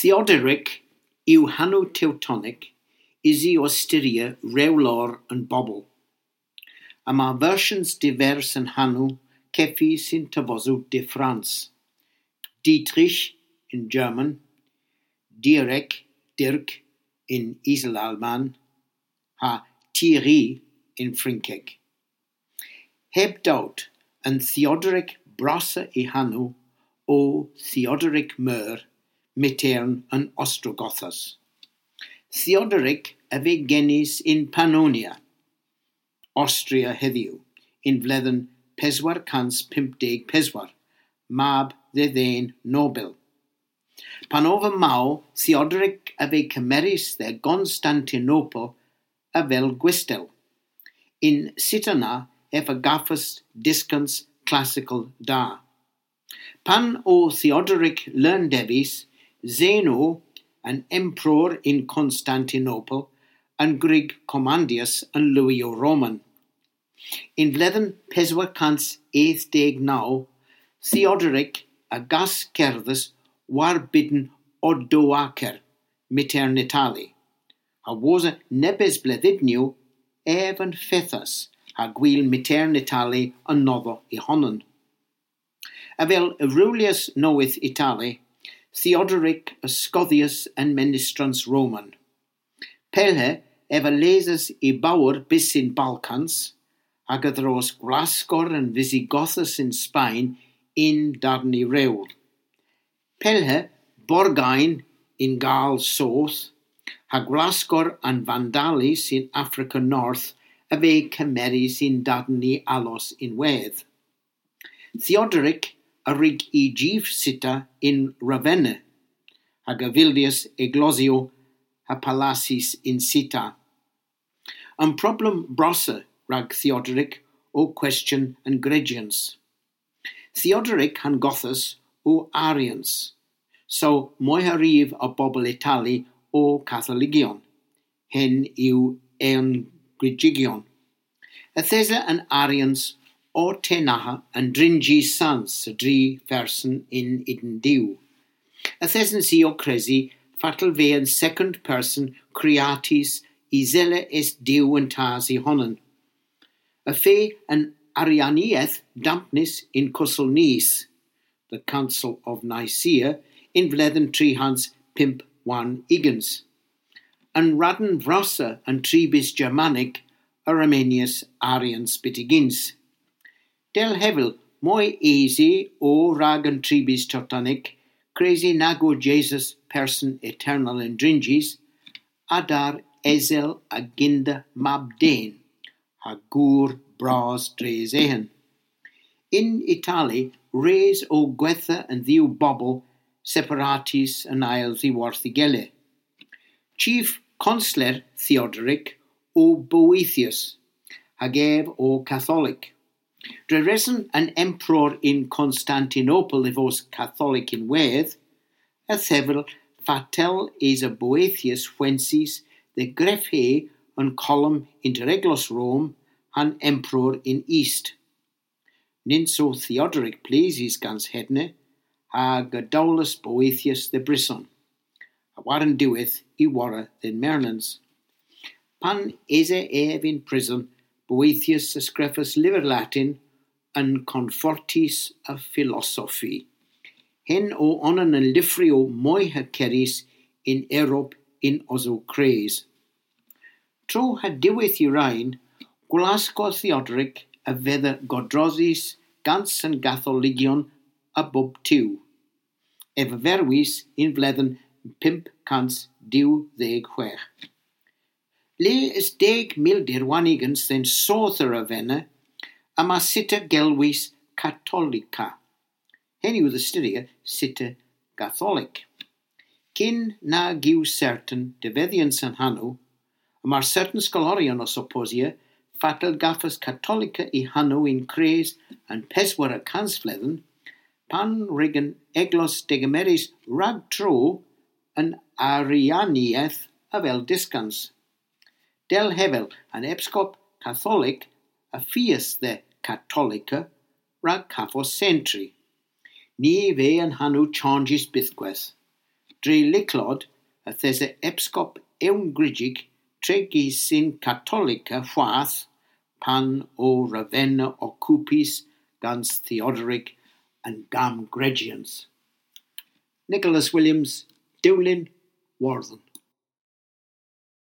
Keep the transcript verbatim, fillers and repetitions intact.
Theodoric yw hanow Tewtonek, usi ow styrya rewlor an bobel. Yma versyans divers a'n hanow kevys yn tavosow diffrans. Dietrich yn German, Dierek, Dirk yn Iselalman, ha Thierry yn Frynkek. Heb dowt, an Theodoric brassa y hanow o Theodoric Meur, mytern an Ostrogothas. Theodoric a veu genys yn Pannonia, Ostria hedhyw, yn vledhen peswar kans pymp deg peswar, mab dhe dhen nobel. Pan ov maw, Theodoric a veu kemerys dhe Gonstantinopel avel gwestel. Yn sita na ev a gavas dyskans klassikal da. Pan o Theodoric leun devys, Zeno, an emperor yn Konstantinopel, a wrug kommandyas an lywyow Roman. Yn vledhen peswar kans eth deg naw, Theodoric a gaskerdhas war bydn Odoacer, mytern Itali, ha wosa nebes bledhynyow ev a'n fethas ha gwil mytern Itali anodho y honan. Avel rewlyas nowydh Itali, Theodoric a skodhyas an menystrans Roman. Pellhe ev a lesas y bowr bys yn Balkans, hag a dhros gwlaskor an Visigothas yn Spayn yn darn y rewl. Pellhe Borgayn yn Gall Soth, ha gwlaskor an Vandalis yn Afrika North a veu kemerys yn darn y allos ynwedh. Theodoric a wrug y jyv sita yn Ravenna, hag a vyldyas eglosyow ha palasys yn sita. An problem brassa rag Theodoric o kwestyon an grejyans. Theodoric ha'n Gothas o Arians, so moy ha ryv a bobel Itali o Katholigyon, hen yw ewn grejyans. Yth esa an Arians ow tenagha an drynsys sans a dri ferson yn ydyn Duw. Yth esens i ow kresi fatel veu an second person kreatys y sella es Duw an Tas y honan. Y feu an Arianieth dampnys yn Kussel Nice, the Council of Nicaea, yn vledhen tri hans pymp warn ugens. An radn vrassa an tribys Germanek a remenyas Arians byttegyns. Dell hevel, moy esy o rag an tribys Tewtonek kresi nag o Jesus person eternal an drynsys, a dar esel a gynda mab den, ha gour bras dres eghen. Yn Itali, res o gwedha an dhew bobel separatys an eyl dhiworth y gila. Chief Konsler Theodoric o Boethius, hag ev o Katholik. Dre reson an emperor yn Konstantinopel y vos Katholik ynwedh, a thevel fatel esa Boethius hwensys dhe grevhe an kolom ynter eglos Rom ha'n emperor yn est. Nyns o Theodoric pleusys gans hedna, hag a dowlas Boethius dhe brison, ha war an diwedh y worra dhe'n mernans. Pan esa ev yn prison, Boethius a skrifas lyver Latin, an Confortis a Philosophi. Hen o onan an lyvrow moyha kerys yn Erop y'n osow kres. Tro ha diwedh y reyn, gwlaskor Theodoric a vedha godrosys gans an Gatholigyon a bob tu. Ev a verwis yn vledhen pymp kans dew deg hwegh. Le es deg mildir warn ugens dhe'n soodh a Ravenna, yma sita gelwys Katolika. Hen yw dhe styrya sita Gatholik. Kyn nag yw sertan devedhyans an hanow, yma sertan skoloryon ow supposya fatel gavas Katolika y hanow yn kres an peswara kansvledhen, pan wrug an eglos degemerys rag tro an Arianieth avel dyskans. Dell hevel, an epskop Katholik a fias dhe Katolika rag kavos sentri. Ny veu an hanow chanjys bythkweth. Dre lycklod yth esa epskop ewngrysek trigys yn Katolika hwath pan o Ravenna okkupys gans Theodoric an Gammgrejians. Nicholas Williams, Dewlin, Wordhen.